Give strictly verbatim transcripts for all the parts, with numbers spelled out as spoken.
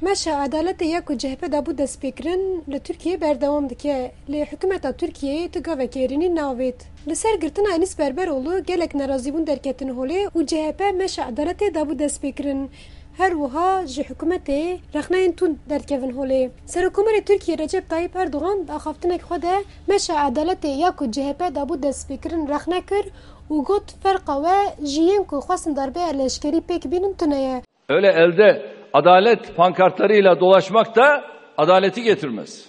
Meşa edaletê ya ku C H P dabû destpêkirin li Tirkiyeyê berdewam dike, lê hikûmeta Tirkiyeyê tu gavekê êrînî navêt. Li ser girtina Enîs Berberoğlu gelek nerazîbûn derketin holê û C H P meşa edaletê dabû destpêkirin. Her wiha ji hikûmetê rexneyên tund derdikevin holê. Serokkomarê Tirkiyê Recep Tayyip Erdogan di axaftinek xwe de meşa edaletê ya ku C H P dabû destpêkirin rexne kir û got, ferqa we ji yên ku xwestin darbeya leşkerî pêk bînin tune ye. Öyle elde adalet pankartlarıyla dolaşmak da adaleti getirmez.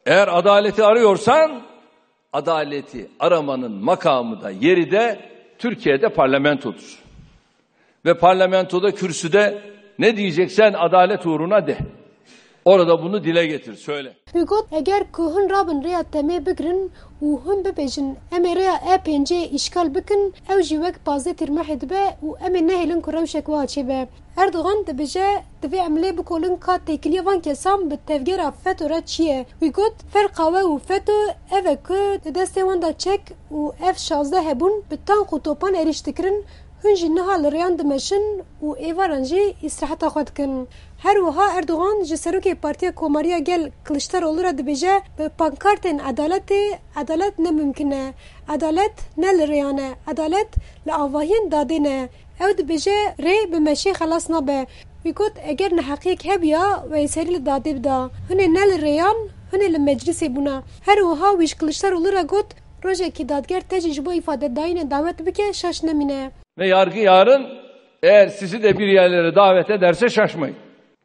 Eğer adaleti arıyorsan, adaleti aramanın makamı da, yeri de Türkiye'de parlamentodur. Ve parlamentoda, kürsüde ne diyeceksen adalet uğruna de. Orada bunu dile getir, söyle. Wî got, eger ku hûn rabin rêya temê bigirin û hûn bibêjin, em ê rêya E pêncê îşgal bikin, ew jî wek pazdeh Tîrmehê dibe û em ê nehêlin ku rewşek wiha çêbe. Erdogan dibêje, divê em lê bikolin ka têkiliya van kesan bi tevgera feto re çi ye. Wî got, ferqa we û feto ev e ku di destê wan de çek û F şazdeh hebûn, bi tank û topan êrîş dikirin, hûn jî niha li rêyan dimeşin û êvaran jî îstiraheta xwe dikin. Her wiha Erdogan ji serokê Partiya Komariya Gel Kiliçdaroglu re dibêje, bi pankartên edaletê, edalet ne mimkin e. Edalet ne li rêyan e. Edalet li avahiyên dadê ne. Ew dibêje, rê bi meşê xelas nabe. Wî got, eger neheqiyek hebiya, wê serî li dadê bida. Hûn ê ne li rêyan, hûn ê li meclisê bûna. Her wiha wî ji Kiliçdaroglu re got, rojekî dadger te jî ji bo îfadedayînê dawet bike, şaş nemîne. Ve yargı yarın eğer sizi de bir yerlere davet ederse şaşmayın.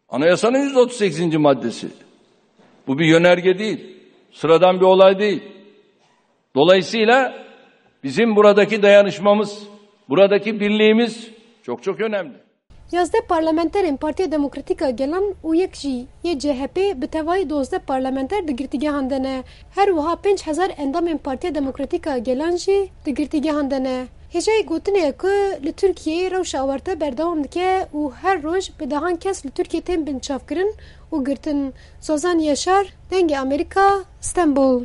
Anayasanın yüz otuz sekizinci maddesi. Bu bir yönerge değil. Sıradan bir olay değil. Dolayısıyla bizim buradaki dayanışmamız, buradaki birliğimiz çok çok önemli. Yazdeh parlamenterên Partiya Demokratîk a Gelan û yek jî yê C H P, bi tevayî dozdeh parlamenter di girtîgehan de ne. Her wiha pênc hezar endamên Partiya Demokratîk a Gelan jî di girtîgehan de ne. Hêjayî gotinê ye ku li Tirkiyeyê rewşa awarte berdewam dike û her roj bi dehan kes li Tirkiyê tên binçavkirin û girtin. Sozan Yaşar, Dengê Amerîka, Stenbol.